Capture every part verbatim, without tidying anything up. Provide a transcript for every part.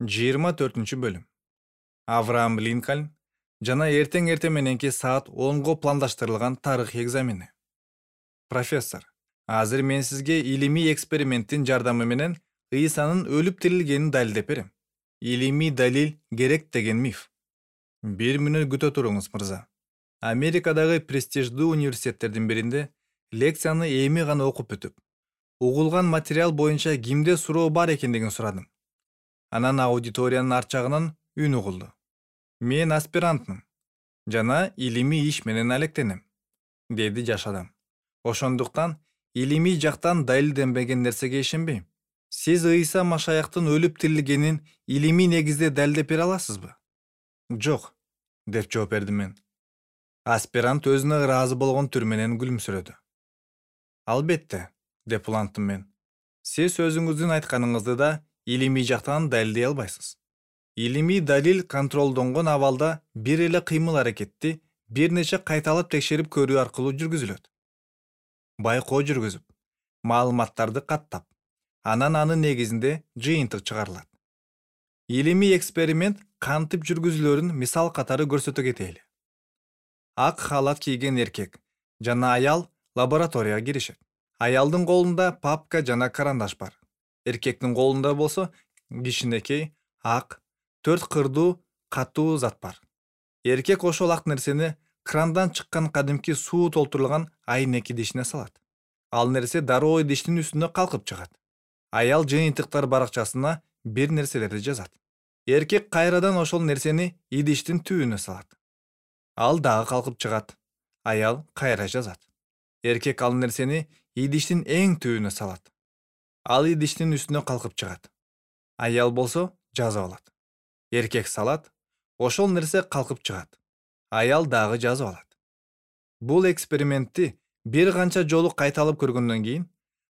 жыйырма төртүнчү бөлүм. Авраам Линкольн жана эртең эртең мененки саат онго пландаштырылган тарыхый экзамени. Профессор, азыр мен сизге илимий эксперименттин жардамы менен Ыйсанын өлүп тирилгенин далилдеп берем. Илимий далил керек деген миф. Бир мүнөт күтө туруңуз, мырза. Америкадагы престиждүү университеттердин биринде лекцияны эми гана окуп бүтүп, угулган материал боюнча кимде суроо бар экендигин сурадым. Анан аудиториянын арт жагынан үн угулду. Мен аспирантмын жана илимий иш менен алектенем, деди жаш адам. Ошондуктан илимий жактан далилденбеген нерсеге ишенбейм. Сиз Ыйса Машаяктын өлүп тирилгенин илимий негизде далилдеп бере аласызбы? Жок, деп жооп бердим мен. Аспирант өзүнө ыраазы болгон түр менен күлүмсүрөдү. Албетте, деп уланттым мен. Сиз өзүңүздүн айтканыңызды да илимий жактан далилдей албайсыз. Илимий далил контролдонгон абалда бир эле кыймыл-аракетти бир нече кайталап текшерип көрүү аркылуу жүргүзүлөт. Байкоо жүргүзүп, маалыматтарды каттап, анан анын негизинде жыйынтык чыгарылат. Илимий эксперимент кантип жүргүзүлөрүн мисал катары көрсөтө кетели. Ак халат кийген эркек жана аял лабораторияга киришет. Аялдын колунда папка жана карандаш бар. Эркектин колунда болсо кичинекей, ак, төрт кырдуу катуу зат бар. Эркек ошол ак нерсени крандан чыккан кадимки суу толтурулган айнек идишине салат. Ал нерсе дароо идиштин үстүнө калкып чыгат. Аял жыйынтыктар баракчасына бир нерселерди жазат. Эркек кайрадан ошол нерсени идиштин түбүнө салат. Ал дагы калкып чыгат. Аял кайра жазат. Эркек ал нерсени идиштин эң түбүнө салат. Ал идиштин үстүнө калкып чыгат. Аял болсо жазып алат. Эркек салат, ошол нерсе калкып чыгат. Аял дагы жазып алат. Бул экспериментти бир канча жолу кайталап көргөндөн кийин,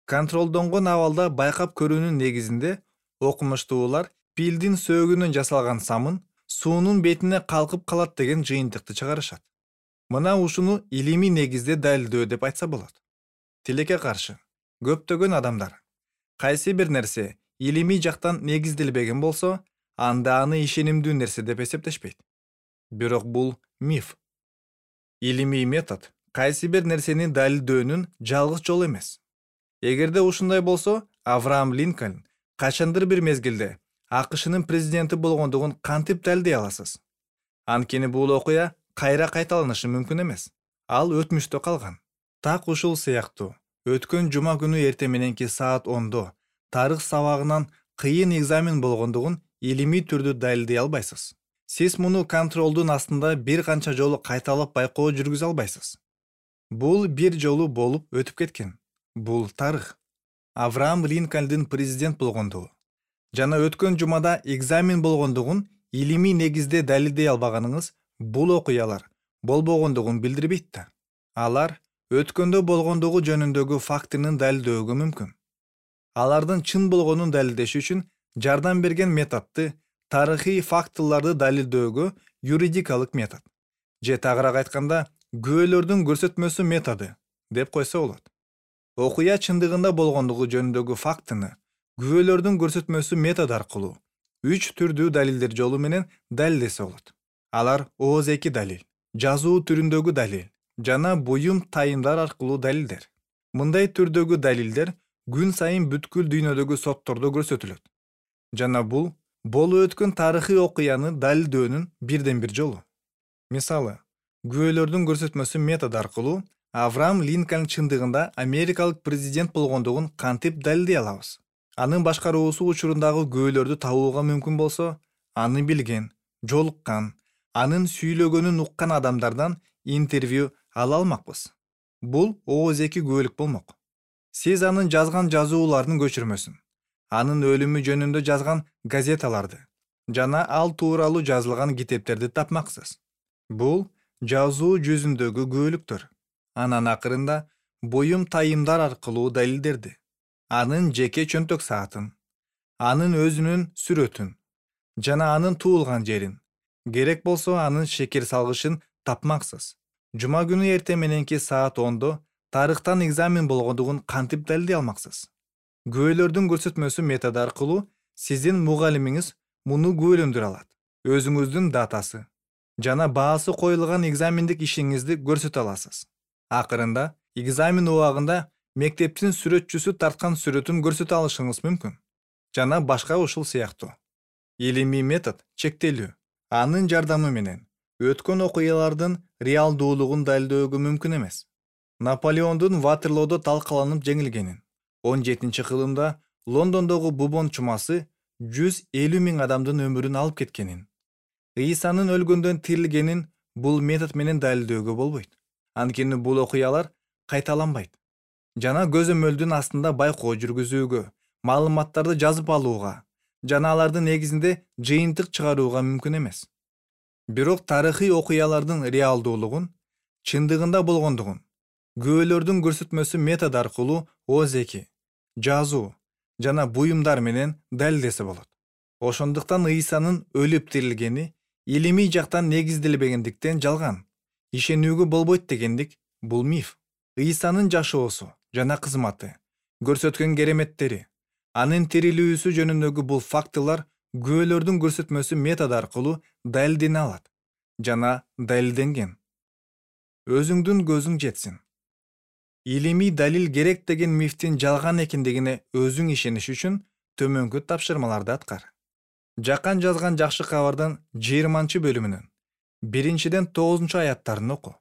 контролдонгон абалда байкап көрүүнүн негизинде окумуштуулар пилдин сөөгүнөн жасалган самын суунун бетине калкып калат деген жыйынтыкты чыгарышат. Мына ушуну илимий негизде далилдөө деп айтса болот. Тилекке каршы, көптөгөн адамдар кайсы бир нерсе илимий жактан негизделбеген болсо, анда аны ишенимдүү нерсе деп эсептешпейт. Бирок бул миф. Илимий метод кайсы бир нерсени далилдөөнүн жалгыз жолу эмес. Эгерде ушундай болсо, Авраам Линкольн качандыр бир мезгилде АКШнын президенти болгондугун кантип далилдей аласыз? Анткени бул окуя кайра кайталанышы мүмкүн эмес. Ал өтмүштө калган. Так ушул сыяктуу, өткөн жума күнү эртең мененки саат ондо тарых сабагынан кыйын экзамен болгондугун илимий түрдө далилдей албайсыз. Сиз муну контролдун астында бир канча жолу кайталап байкоо жүргүзө албайсыз. Бул бир жолу болуп өтүп кеткен. Бул тарых. Авраам Линкольндун президент болгондугу жана өткөн жумада экзамен болгондугун илимий негизде далилдей албаганыңыз бул окуялар болбогондугун билдирбейт да. Алар өткөндө болгондугу жөнүндөгү фактынын далилдөөгө мүмкүн. Алардын чын болгонун далилдеш үчүн жардам берген методду тарыхый фактыларды далилдөөгө юридикалык метод же тагыраак айтканда күбөлөрдүн көрсөтмөсү методу деп койсо болот. Окуя чындыгында болгондугу жөнүндөгү фактыны күбөлөрдүн көрсөтмөсү методу аркылуу үч түрдүү далилдер жолу менен далилдесе болот. Алар ооз-эки далил, жазуу түрүндөгү далил жана буюм тайымдар аркылуу далилдер. Мындай түрдөгү далилдер күн сайын бүткүл дүйнөдөгү соттордо көрсөтүлөт. Жана бул болуп өткөн тарыхый окуяны далилдөөнүн бирден бир жолу. Мисалы, күбөлөрдүн көрсөтмөсү методу аркылуу Авраам Линкольн чындыгында америкалык президент болгондугун кантип далилдей алабыз? Анын башкаруусу учурундагы күбөлөрдү табууга мүмкүн болсо, аны билген, жолуккан, анын сүйлөгөнүн уккан адамдардан интервью ала алмакпыз. Бул ооз-эки күбөлүк болмок. Сиз анын жазган жазууларынын көчүрмөсүн, анын өлүмү жөнүндө жазган газеталарды жана ал тууралуу жазылган китептерди тапмаксыз. Бул жазуу жүзүндөгү күбөлүктөр. Анан акырында буюм тайымдар аркылуу далилдерди. Анын жеке чөнтөк саатын, анын өзүнүн сүрөтүн жана анын туулган жерин, керек болсо анын шекер салгычын тапмаксыз. Жума күнү эртең мененки саат ондо тарыхтан экзамен болгондугун кантип далилдей алмаксыз? Күбөлөрдүн көрсөтмөсү методу аркылуу сиздин мугалимиңиз муну күбөлөндүрө алат. Өзүңүздүн датасы жана баасы коюлган экзамендик ишиңизди көрсөтө аласыз. Акырында экзамен убагында мектептин сүрөтчүсү тарткан сүрөтүн көрсөтө алышыңыз мүмкүн. Жана башка ушул сыяктуу. Илимий метод чектелүү. Анын жардамы менен өткөн окуялардын реалдуулугун далилдөөгө мүмкүн эмес. Наполеондун Ватерлоодо талкаланып жеңилгенин, он жетинчи кылымда Лондондогу Бубон чумасы жүз элүү миң адамдын өмүрүн алып кеткенин, Ыйсанын өлгөндөн тирилгенин бул метод менен далилдөөгө болбойт. Анткени бул окуялар кайталанбайт. Жана көзөмөлдүн астында байкоо жүргүзүүгө, маалыматтарды жазып алууга жана алардын негизинде жыйынтык чыгарууга мүмкүн эмес. Бирок тарыхый окуялардын реалдуулугун, чындыгында болгондугун күбөлөрдүн көрсөтмөсү метод аркылуу ооз эки, жазуу жана буюмдар менен далилдесе болот. Ошондуктан Ыйсанын өлүп тирилгени илимий жактан негизделбегендиктен жалган, ишенүүгө болбойт дегендик бул миф. Ыйсанын жашоосу жана кызматы, көрсөткөн кереметтери, анын тирилүүсү жөнүндөгү бул фактылар күбөлөрдүн көрсөтмөсү метод аркылуу далилдене алат жана далилденген. Өзүңдүн көзүң жетсин. Илимий далил керек деген мифтин жалган экендигине өзүң ишениш үчүн төмөнкү тапшырмаларды аткар. Жакан жазган жакшы кабардын жыйырманчы бөлүмүнүн биринчиден тогузунчу аяттарын оку.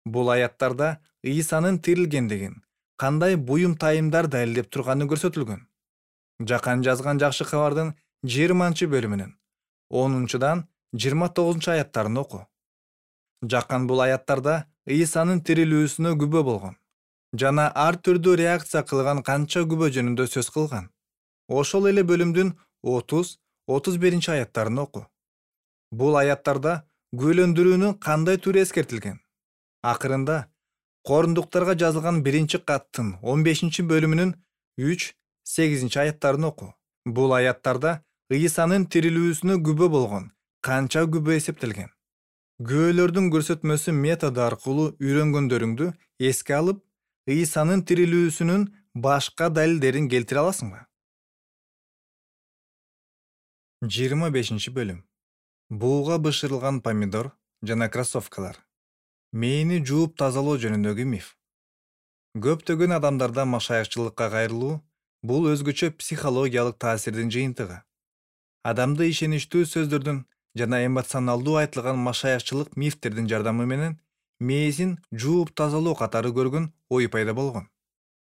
Бул аяттарда Ыйсанын тирилгендигин, кандай буюм тайымдар далилдеп турганы көрсөтүлгөн. Жакан жазган жакшы кабардын жыйырманчы бөлүмүнүн онунчудан жыйырма тогузунчу аяттарын оку. Жакан бул аяттарда Ыйсанын тирилүүсүнө күбө болгон жана ар түрдүү реакция кылган канча күбө жөнүндө сөз кылган. Ошол эле бөлүмдүн отуз отуз биринчи аяттарын оку. Бул аяттарда күбөлөндүрүүнүн кандай түрү эскертилген. Акырында Корундуктарга жазылган биринчи каттын он бешинчи бөлүмүнүн үч сегизинчи аяттарын оку. Бул аяттарда Ыйсанын тирилүүсүнө күбө болгон канча күбө эсептелген. Күбөлөрдүн көрсөтмөсү методу аркылуу үйрөнгөндөрүңдү эске алып, Ыйсанын тирилүүсүнүн башка далилдерин келтире аласыңбы? жыйырма бешинчи бөлүм. Бууга бышырылган помидор жана кроссовкалар. Мээни жууп тазалоо жөнүндөгү миф. Көптөгөн адамдарда машаякчылыкка кайрылуу бул өзгөчө психологиялык таасирдин жыйынтыгы. Адамды ишеничтүү сөздөрдүн жана эмоционалдуу айтылган машаякчылык мифтердин жардамы менен мээсин жууп тазалоо катары көргөн ой пайда болгон.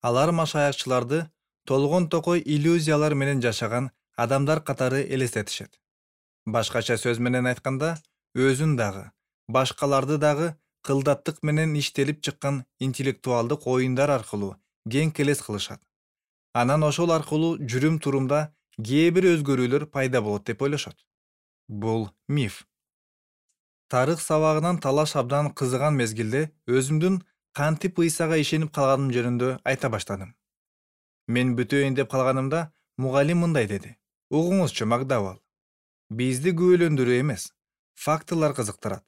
Алар машаякчыларды толгон токой иллюзиялар менен жашаган адамдар катары элестетишет. Башкача сөз менен айтканда, өзүн дагы, башкаларды дагы кылдаттык менен иштелип чыккан интеллектуалдык оюндар аркылуу кең келес кылышат. Анан ошол аркылуу жүрүм турумда кээ бир өзгөрүүлөр пайда болот деп ойлошот. Бул миф. Тарых сабагынан талаш абдан кызыган мезгилде өзүмдүн кантип Ыйсага ишенип калганым жөнүндө айта баштадым. Мен бүтөйүн деп калганымда мугалим мындай деди: "Угуңузчу, Макдауэлл, бизди күбөлөндүрүү эмес, фактылар кызыктырат.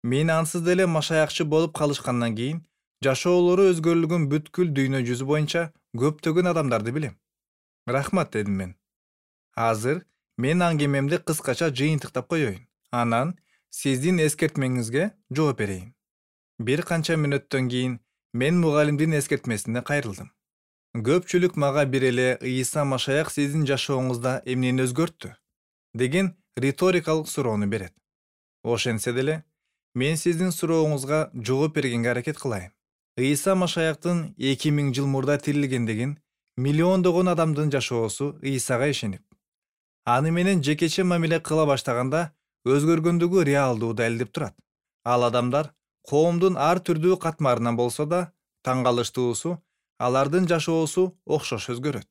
Мен ансыз деле машаякчы болуп калышкандан кийин жашоолору өзгөрүлгөн бүткүл дүйнө жүзү боюнча көптөгөн адамдарды билем." Рахмат, дедим мен. Азыр мен аңгемемди кыскача жыйынтыктап коеюн. Анан сиздин эскертмеңизге жооп берейин. Бир канча мүнөттөн кийин мен мугалимдин эскертмесине кайрылдым. Көпчүлүк мага бир эле "Ыйса Машаяк сиздин жашооңузда эмнени өзгөрттү?" деген риторикалык суроону берет. Ошентсе деле, мен сиздин сурооңузга жооп бергенге аракет кылайын. Ыйса Машаяктын эки миң жыл мурда тирилгендигин миллиондогон адамдын жашоосу Ыйсага ишенип, аны менен жекече мамиле кыла баштаганда өзгөргөндүгү реалдуу далилдеп турат. Ал адамдар коомдун ар түрдүү катмарынан болсо да, таң калыштуусу алардын жашоосу окшош өзгөрөт.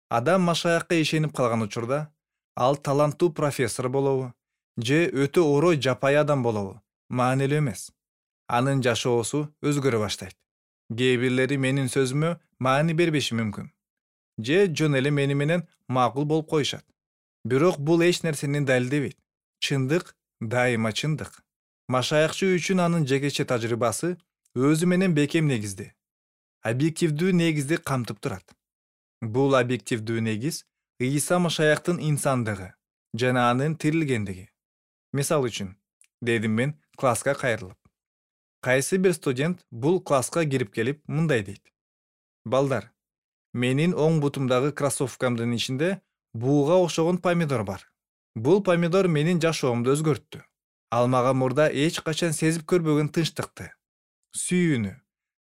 Адам Машаякка ишенип калган учурда, ал таланттуу профессор болобу же өтө орой жапайы адам болобу маанилүү эмес. Анын жашоосу өзгөрө баштайт. Кээ бирлери менин сөзүмө маани бербеши мүмкүн, же жөн эле мени менен макул болуп коюшат. Бирок бул эч нерсени далилдебейт. Чындык дайыма чындык. Машаякчы үчүн анын жекече тажрыйбасы өзү менен бекем негизди, объективдүү негизди камтып турат. Бул объективдүү негиз Ыйса Машаяктын инсандыгы жана анын тирилгендиги. Мисал үчүн, дедим мен класска кайрылып. Кайсы бир студент бул класска кирип келип мындай дейт: балдар, менин оң бутумдагы кроссовкамдын ичинде бууга окшогон помидор бар. Бул помидор менин жашоомду өзгөрттү. Ал мага мурда эч качан сезип көрбөгөн тынчтыкты, сүйүүнү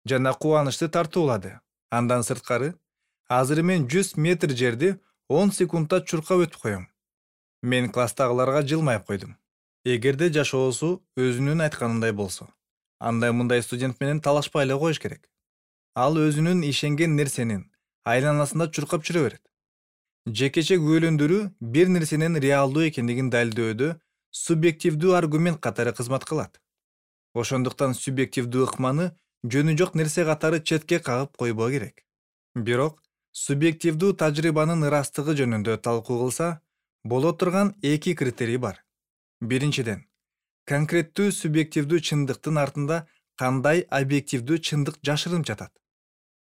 жана кубанычты тартуулады. Андан сырткары, азыр мен жүз метр жерди он секундда чуркап өтүп коем. Мен класстагыларга жылмайып койдум. Эгерде жашоосу өзүнүн айтканындай болсо, анда мындай студент менен талашпай эле коюш керек. Ал өзүнүн ишенген нерсенин айланасында чуркап жүрө берет. Жекече күбөлөндүрүү бир нерсенин реалдуу экендигин далилдөөдө субъективдүү аргумент катары кызмат кылат. Ошондуктан субъективдүү ыкманы жөнү жок нерсе катары четке кагып койбоо керек. Бирок субъективдүү тажрыйбанын ырастыгы жөнүндө талкуу кылса, боло турган эки критерий бар. Биринчиден, конкреттүү субъективдүү чындыктын артында кандай объективдүү чындык жашырынып жатат.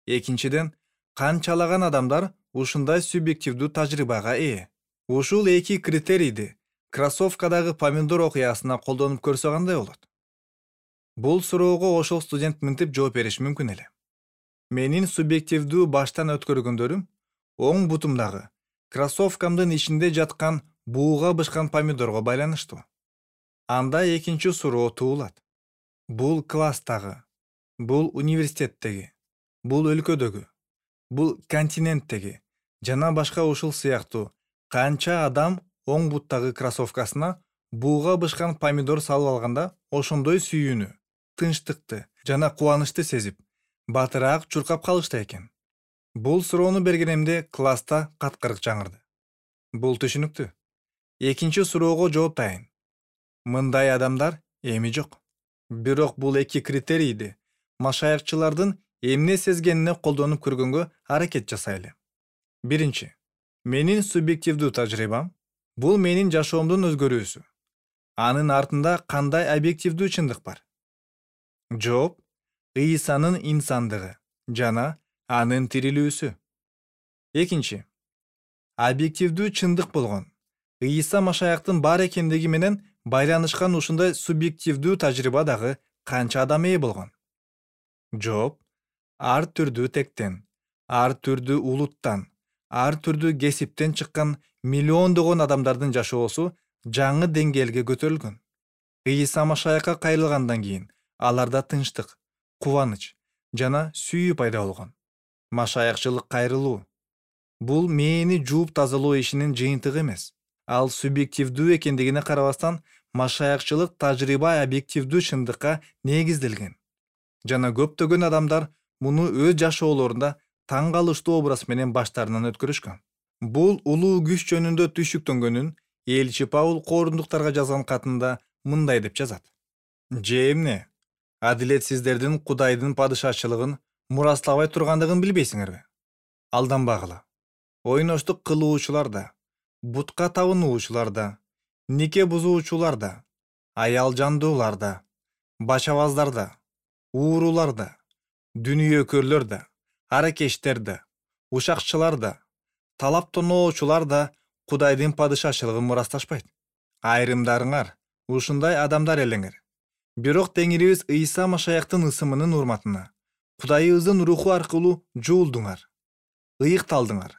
Экинчиден, канчалаган адамдар ушундай субъективдүү тажрыйбага ээ. Ушул эки критерийди кроссовкадагы помидор окуясына колдонуп көрсө кандай болот? Бул суроого ошол студент мынтип жооп бериши мүмкүн эле. Менин субъективдүү баштан өткөргөндөрүм оң бутумдагы кроссовкамдын ичинде жаткан бууга бышкан помидорго байланыштуу. Анда экинчи суроо туулат. Бул класстагы, бул университеттеги, бул өлкөдөгү, бул континенттеги жана башка ушул сыяктуу канча адам оң буттагы кроссовкасына бууга бышкан помидор салып алганда ошондой сүйүүнү, тынчтыкты жана кубанычты сезип, батыраак чуркап калышты экен? Бул суроону бергенимде класста каткырык жаңырды. Бул түшүнүктүү. Экинчи суроого жооп дайын. Мындай адамдар эми жок. Бирок бул эки критерийди машаякчылардын эмне сезгенине колдонуп көргөнгө аракет жасайлы. Биринчи, менин субъективдүү тажрыйбам бул менин жашоомдун өзгөрүүсү. Анын артында кандай объективдүү чындык бар? Жооп: Ыйсанын инсандыгы жана анын тирилүүсү. Экинчи, объективдүү чындык болгон Ыйса Машаяктын бар экендиги менен байланышкан ушундай субъективдүү тажрыйба дагы канча адам ээ болгон? Жооп: ар түрдүү тектен, ар түрдүү улуттан, ар түрдүү кесиптен чыккан миллиондогон адамдардын жашоосу жаңы деңгээлге көтөрүлгөн. Ыйса Машаякка кайрылгандан кийин аларда тынчтык, кубаныч жана сүйүү пайда болгон. Машаякчылык кайрылуу бул мээни жууп тазалоо ишинин жыйынтыгы эмес. Ал субъективдүү экендигине карабастан, машаякчылык тажрыйба объективдүү чындыкка негизделген. Жана көптөгөн адамдар муну өз жашоолорунда таң калыштуу образ менен баштарынан өткөрүшкөн. Бул улуу күч жөнүндө түйшүктөнгөнүн элчи Паул коорундуктарга жазган катында мындай деп жазат: же эмне? Адилетсиздердин Кудайдын падышачылыгын мурастабай тургандыгын билбейсиңерби? Алданбагыла. Ойноштук кылуучулар да, бутка табынуучулар да, нике бузуучулар да, аял жандуулар да, бачабаздар да, уурулар да, дүнүйөкөрлөр да, аракештер да, ушакчылар да, талап тоноочулар да Кудайдын падышачылыгын мурасташпайт. Айрымдарыңар ушундай адамдар элеңер. Бирок Теңирибиз Ыйса Машаяктын ысымынын урматына Кудайыбыздын руху аркылуу жуулдуңар, ыйыкталдыңар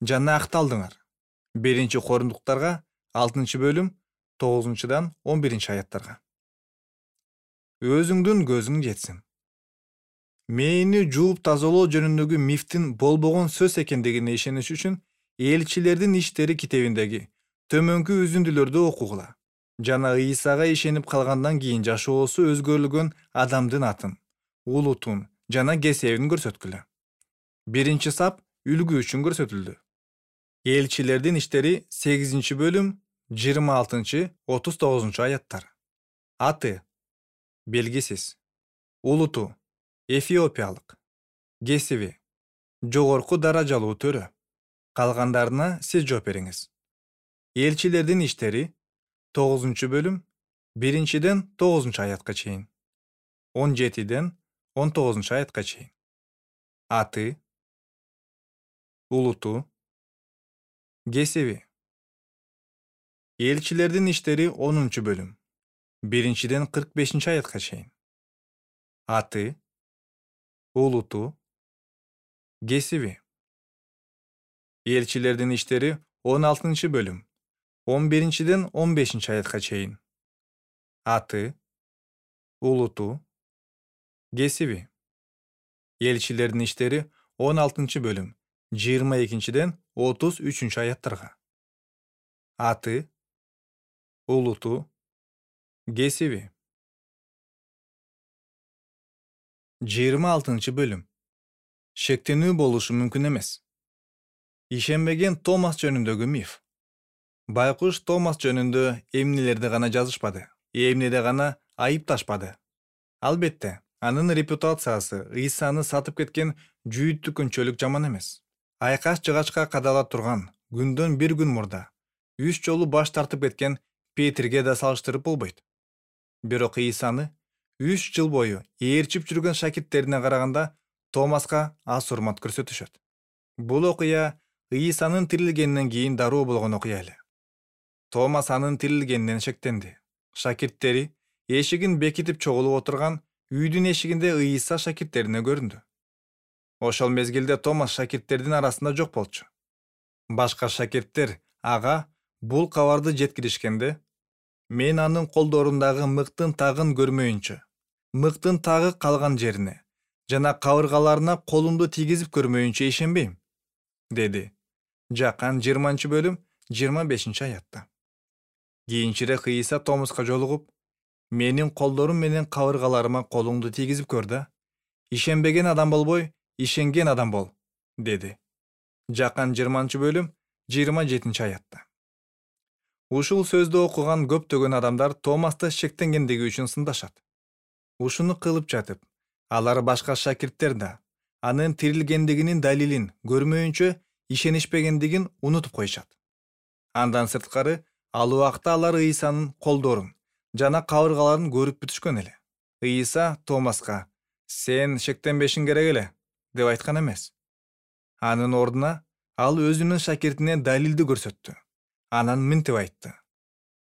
жана акталдыңар. Биринчи Корундуктарга алтынчы бөлүм тогузунчудан он биринчи аяттарга. Өзүңдүн көзүң жетсин. Мээни жууп тазалоо жөнүндөгү мифтин болбогон сөз экендигине ишениш үчүн Элчилердин иштери китебиндеги төмөнкү үзүндүлөрдү окугула жана Ыйсага ишенип калгандан кийин жашоосу өзгөрүлгөн адамдын атын, улутун жана кесебин көрсөткүлө. Биринчи сап үлгү үчүн көрсөтүлдү. Элчилердин иштери сегизинчи бөлүм жыйырма алтынчы отуз тогузунчу аяттар. Аты белгисиз. Улуту эфиопиялык. Кесиби жогорку даражалуу төрө. Калгандарына сиз жооп бериңиз. Элчилердин иштери тогузунчу бөлүм биринчиден тогузунчу аятка чейин, он жетиден он тогузунчу аятка чейин. Аты, улуту, кесиби Элчилердин иштери онунчу бөлүм. Биринчиден кырк бешинчи аятка чейин. Аты, улуту, кесиби. Элчилердин иштери он алтынчы бөлүм. он биринчиден он бешинчи аятка чейин. Аты, улуту, кесиби. Элчилердин иштери он алтынчы бөлүм. жыйырма экинчиден отуз үчүнчү аяттарга. Аты, улуту, кесиби. жыйырма алтынчы бөлүм. Шектенүү болушу мүмкүн эмес. Ишенбеген Томас жөнүндөгү миф. Байкуш Томас жөнүндө эмнелерди гана жазышпады, эмнеде гана айыпташпады. Албетте, анын репутациясы Ыйсаны сатып кеткен жүйүттү күнчөлүк жаман эмес. Айкаш жыгачка кадала турган күндөн бир күн мурда үч жолу баш тартып кеткен Петрге да салыштырып болбойт. Бирок Ыйсаны үч жыл бою ээрчип жүргөн шакирттерине караганда Томаска аз урмат көрсөтүшөт. Бул окуя Ыйсанын тирилгенден кийин дароо болгон окуя эле. Томас анын тирилгенинен шектенди. Шакирттери эшигин бекитип чогулуп отурган үйдүн эшигинде Ыйса шакирттерине көрүндү. Ошол мезгилде Томас шакирттердин арасында жок болчу. Башка шакирттер ага бул кабарды жеткиришкенде, мен анын колдорундагы мыктын тагын көрмөйүнчө, мыктын тагы калган жерине жана кабыргаларына колумду тийгизип көрмөйүнчө ишенбейм, деди. Жакан жыйырманчы бөлүм жыйырма бешинчи аятта. Кийинчерээк Ыйса Томаска жолугуп, менин колдорум менен кабыргаларыма колуңду тийгизип көр да, ишенбеген адам болбой, ишенген адам бол, деди. Жакан жыйырманчы бөлүм жыйырма жетинчи аятта. Ушул сөздү окуган көптөгөн адамдар Томасты шектенгендиги үчүн сындашат. Ушуну кылып жатып, алар башка шакирттер да анын тирилгендигинин далилин көрмөйүнчө ишенишпегендигин унутуп коюшат. Андан сырткары, ал убакта алар Ыйсанын колдорун жана кабыргаларын көрүп бүтүшкөн эле. Ыйса Томаска «Сен шектенбешиң керек эле» деп айткан эмес. Анын ордуна ал өзүнүн шакиртине далилди көрсөттү. Анан мынтип айтты: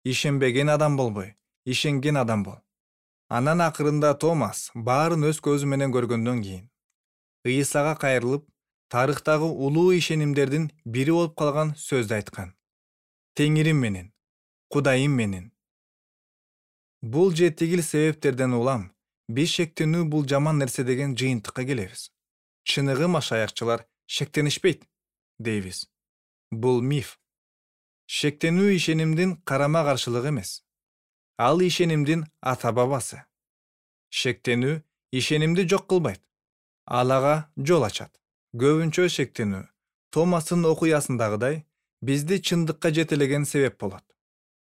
«Ишенбеген адам болбой, ишенген адам бол». Анан акырында Томас баарын өз көзү менен көргөндөн кийин Ыйсага кайрылып, тарыхтагы улуу ишенимдердин бири болуп калган сөздү айткан: «Теңирим менен, Кудайым менен». Бул же тигил себептерден улам биз шектенүү бул жаман нерсе деген жыйынтыкка келебиз. Чыныгы машаякчылар шектенишпейт, дейбиз. Бул миф. Шектенүү ишенимдин карама каршылыгы эмес. Ал ишенимдин ата бабасы. Шектенүү ишенимди жок кылбайт. Ал ага жол ачат. Көбүнчө шектенүү Томастын окуясындагыдай бизди чындыкка жетелеген себеп болот.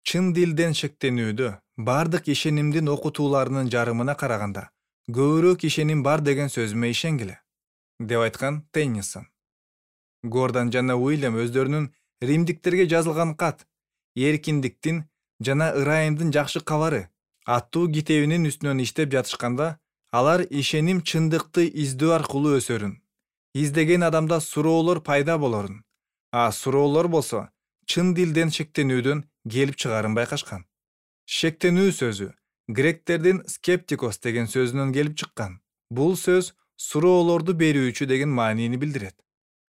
Чын дилден шектенүүдө бардык ишенимдин окутууларынын жарымына караганда көбүрөөк ишеним бар деген сөзүмө ишенгиле, деп айткан Теннисон. Гордон жана Уильям өздөрүнүн римдиктерге жазылган кат «Эркиндиктин жана ырайымдын жакшы кабары» аттуу китебинин үстүнөн иштеп жатышканда, алар ишеним чындыкты издөө аркылуу өсөрүн, издеген адамда суроолор пайда болорун, а суроолор болсо чын дилден шектенүүдөн келип чыгарын байкашкан. Шектенүү сөзү гректердин скептикос деген сөзүнөн келип чыккан. Бул сөз суроолорду берүүчү деген маанини билдирет.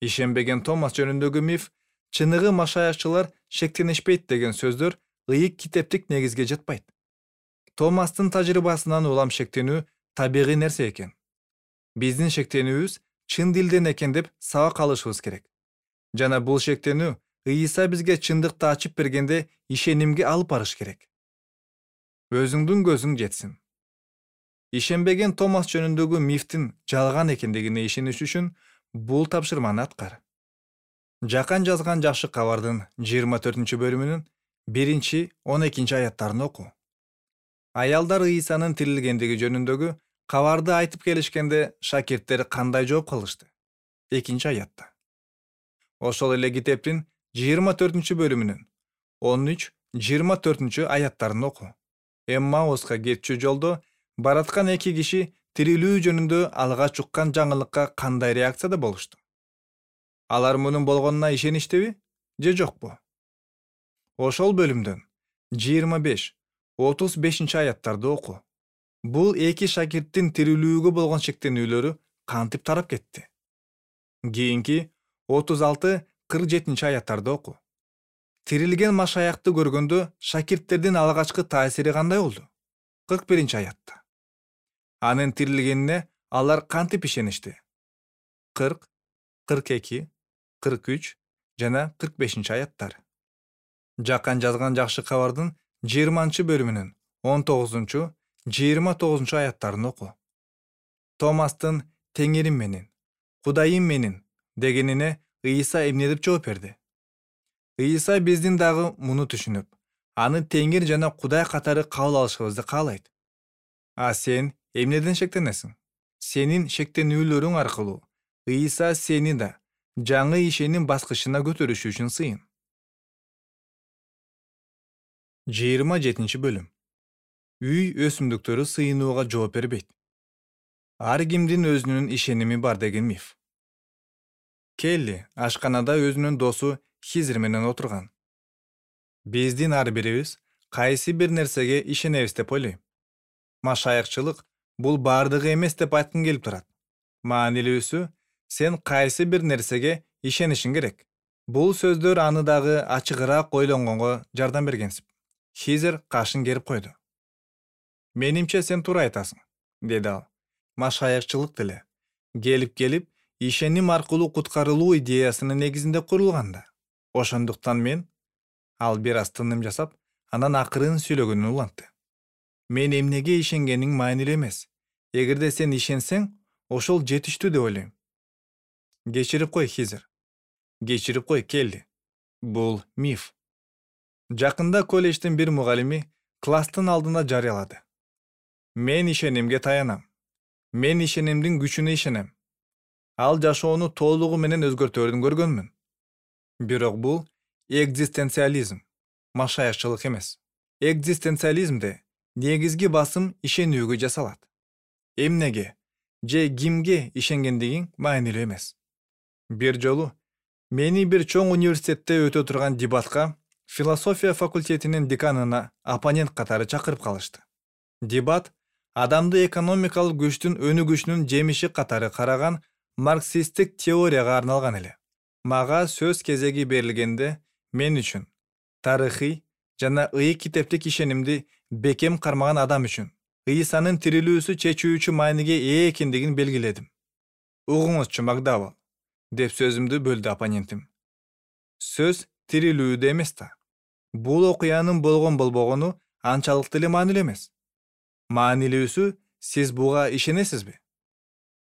Ишенбеген Томас жөнүндөгү миф «чыныгы машаякчылар шектенишпейт» деген сөздөр ыйык китептик негизге жатпайт. Томастын тажрыйбасынан улам шектенүү табигый нерсе экен. Биздин шектенүүбүз чын дилден экен деп сабак алышыбыз керек. Жана бул шектенүү Ыйса бизге чындыкты ачып бергенде ишенимге алып барыш керек. Өзүңдүн көзүң жетсин. Ишенбеген Томас жөнүндөгү мифтин жалган экендигине ишениш үчүн бул тапшырманы аткар. Жакан жазган жакшы кабардын жыйырма төртүнчү бөлүмүнүн биринчи он экинчи аяттарын оку. Аялдар Ыйсанын тирилгендиги жөнүндөгү кабарды айтып келишкенде шакирттер кандай жооп калышты? экинчи аятта. Ошол эле китептин жыйырма төртүнчү бөлүмүнүн он үч жыйырма төртүнчү аяттарын оку. Эммауска кетчү жолдо бараткан эки киши тирилүү жөнүндө алгач уккан жаңылыкка кандай реакцияда болушту? Алар мунун болгонуна ишеништиби же жокпу? ошол бөлүмдөн жыйырма беш отуз бешинчи аяттарды оку. Бул эки шакирттин тирүүлүүгө болгон шектенүүлөрү кантип тарап кетти? Кийинки отуз алты кырк жетинчи аяттарды оку. Тирилген машаякты көргөндө шакирттердин алгачкы таасири кандай болду? кырк биринчи аятта. Анын тирилгенине алар кантип ишеништи? кырк, кырк эки, кырк үч жана кырк бешинчи аяттар. Жакан жазган жакшы кабардын жыйырманчы бөлүмүнүн он тогузунчу, жыйырма тогузунчу аяттарын оку. Томастын «Теңирим менин, Кудайым менин» дегенине Ыйса эмне деп жооп берди? Ыйса биздин дагы муну түшүнүп, аны Теңир жана Кудай катары кабыл алышыбызды каалайт. А сен эмнеден шектенесиң? Сенин шектенүүлөрүң аркылуу Ыйса сени да жаңы ишеним баскычына көтөрүшү үчүн сыйын. жыйырма жетинчи бөлүм. Үй өсүмдүктөрү сыйынууга жооп бербейт. Ар кимдин өзүнүн ишеними бар деген миф. Келли ашканада өзүнүн досу Хизир менен отурган. Биздин ар бирибиз кайсы бир нерсеге ишенебиз деп ойлойм. Машаякчылык бул бардыгы эмес деп айткым келип турат. Маанилүүсү, сен кайсы бир нерсеге ишенишиң керек. Бул сөздөр аны дагы ачыгыраак ойлонгонго жардам бергенсип. Хизир кашын керип койду. Менимче сен туура айтасың, деди ал. Машаякчылык деле келип-келип ишеним аркылуу куткарылуу идеясынын негизинде курулганда. Ошондуктан мен, ал бир аз тыным жасап, анан акырын сүйлөгөнүн улантты. Мен эмнеге ишенгениң маанилүү эмес. Эгерде сен ишенсең, ошол жетиштүү деп ойлойм. Кечирип кой, Хизир. Кечирип кой, Келли. Бул миф. Жакында колледждин бир мугалими класстын алдында жарыялады. Мен ишенимге таянам. Мен ишенимдин күчүнө ишенем. Ал жашоону толугу менен өзгөртөөрүн көргөнмүн. Бирок бул экзистенциализм, машаякчылык эмес. Экзистенциализмде негизги басым ишенүүгө жасалат. Эмнеге же кимге ишенгендигиң маанилүү эмес. Бир жолу мени бир чоң университетте өтө турган дебатка философия факультетинин деканына оппонент катары чакырып калышты. Дебат адамды экономикалык күчтүн өнүгүшүнүн жемиши катары караган марксисттик теорияга арналган эле. Мага сөз кезеги берилгенде мен үчүн тарыхый жана ыйык китептик ишенимди бекем кармаган адам үчүн Ыйсанын тирилүүсү чечүүчү мааниге ээ экендигин белгиледим. Угуңузчу, Макдавал, деп сөзүмдү бөлдү оппонентим. Сөз тирилүүдө эмес да. Бул окуянын болгон болбогону анчалык деле маанилүү эмес. Маанилүүсү, сиз буга ишенесизби?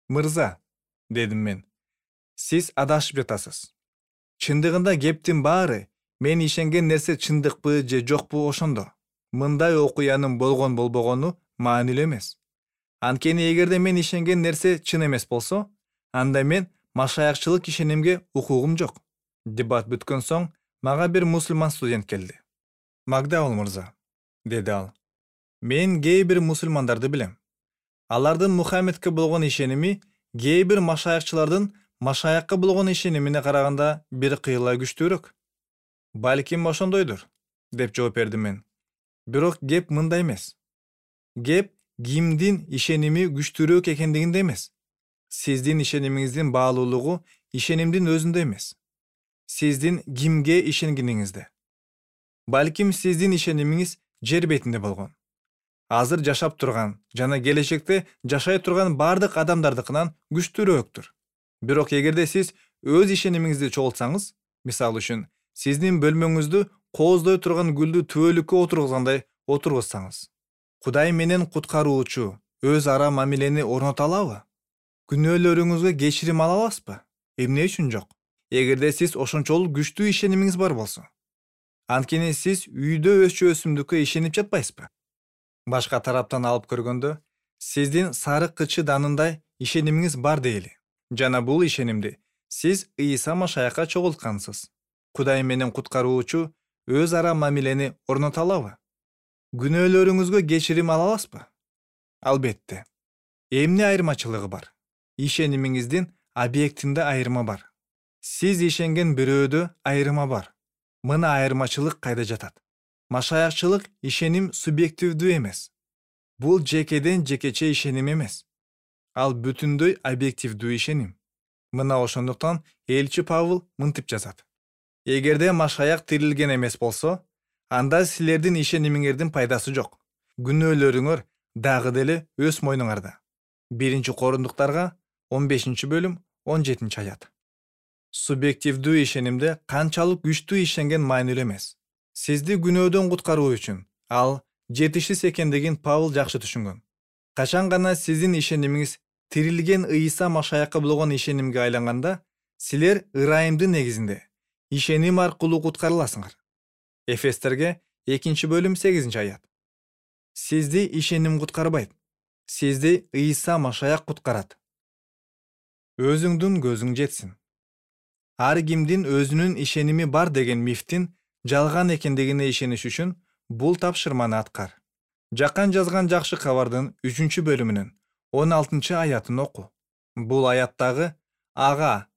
Мырза, дедим мен, сиз адашып жатасыз. Чындыгында кептин баары мен ишенген нерсе чындыкпы же жокпу ошондо. Мындай окуянын болгон болбогону маанилүү эмес. Анткени эгерде мен ишенген нерсе чын эмес болсо, анда мен машаякчылык ишенимге укугум жок. Дебат бүткөн соң мага бир мусулман студент келди. Макдавал мырза, деди ал. Мен кээ бир мусулмандарды билем. Алардын Мухаммедке болгон ишеними кээ бир машаякчылардын машаякка болгон ишенимине караганда бир кыйла күчтүүрөөк. Балким ошондойдур, деп жооп бердим мен. Бирок кеп мында эмес. Кеп кимдин ишеними күчтүүрөөк экендигинде эмес. Сиздин ишенимиңиздин баалуулугу ишенимдин өзүндө эмес. Сиздин кимге ишенгениңизде. Балким сиздин ишенимиңиз жер бетинде болгон. Азыр жашап турган жана келечекте жашай турган бардык адамдардыкынан күчтүүрөөктүр. Бирок эгерде сиз өз ишенимиңизди чогултсаңыз, мисалы үчүн, сиздин бөлмөңүздү кооздой турган гүлдү түбөлүккө отургузгандай отургузсаңыз, Кудай менен куткаруучу өз ара мамилени орното алабы? Күнөөлөрүңүзгө кечирим ала аласызбы? Эмне үчүн жок? Эгерде сиз ошончолук күчтүү ишенимиңиз бар болсо. Анткени сиз үйдө өсчү өсүмдүккө ишенип жатпайсызбы? Башка тараптан алып көргөндө, сиздин сарык кычы данындай ишенимиңиз бар дейли. Жана бул ишенимди сиз Ыйса Машаякка чогулткансыз. Кудай менен куткаруучу өз ара мамилени орното алабы? Күнөөлөрүңүзгө кечирим ала аласызбы? Албетте. Эмне айырмачылыгы бар? Ишенимиңиздин объектинде айырма бар. Сиз ишенген бирөөдө айырма бар. Мына айырмачылык кайда жатат. Машаякчылык ишеним субъективдүү эмес. Бул жекеден жекече ишеним эмес. Ал бүтүндөй объективдүү ишеним. Мына ошондуктан элчи Павыл мынтип жазат: эгерде Машаяк тирилген эмес болсо, анда силердин ишенимиңердин пайдасы жок. Күнөөлөрүңөр дагы деле өз мойнуңарда. Биринчи Корундуктарга он бешинчи бөлүм он жетинчи аят. Субъективдүү ишенимде канчалык күчтүү ишенген маанилүү эмес. Сизди күнөөдөн куткаруу үчүн ал жетишсиз экендигин Павыл жакшы түшүнгөн. Качан гана сиздин ишенимиңиз тирилген Ыйса Машаякка болгон ишенимге айланганда, силер ырайымдын негизинде ишеним аркылуу куткарыласыңар. Эфестерге экинчи бөлүм сегизинчи аят. Сизди ишеним куткарбайт. Сизди Ыйса Машаяк куткарат. Өзүңдүн көзүң жетсин. Ар кимдин өзүнүн ишеними бар деген мифтин жалган экендигине ишениш үчүн бул тапшырманы аткар. Жакан жазган жакшы кабардын үчүнчү бөлүмүнүн он алтынчы аятын оку. Бул аяттагы ага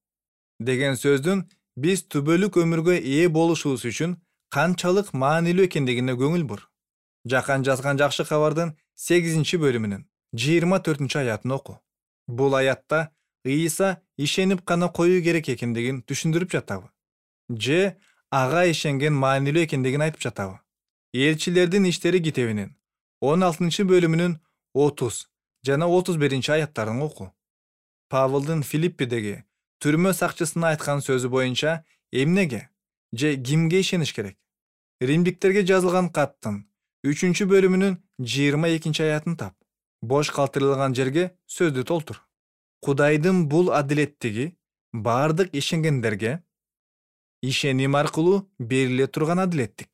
деген сөздүн биз түбөлүк өмүргө ээ болушубуз үчүн канчалык маанилүү экендигине көңүл бур. Жакан жазган жакшы кабардын сегизинчи бөлүмүнүн жыйырма төртүнчү аятын оку. Бул аятта Ыйса ишенип гана коюу керек экендигин түшүндүрүп жатабы? Же ага ишенген маанилүү экендигин айтып жатабы? Элчилердин иштери китебинин он алтынчы бөлүмүнүн отуз жана отуз биринчи аяттарын оку. Павылдын Филиппидеги түрмө сакчысына айткан сөзү боюнча эмнеге же кимге ишениш керек? Римдиктерге жазылган каттын үчүнчү бөлүмүнүн жыйырма экинчи аятын тап. Бош калтырылган жерге сөздү толтур. Кудайдын бул адилеттиги бардык ишенгендерге ишеним аркылуу бериле турган адилеттик.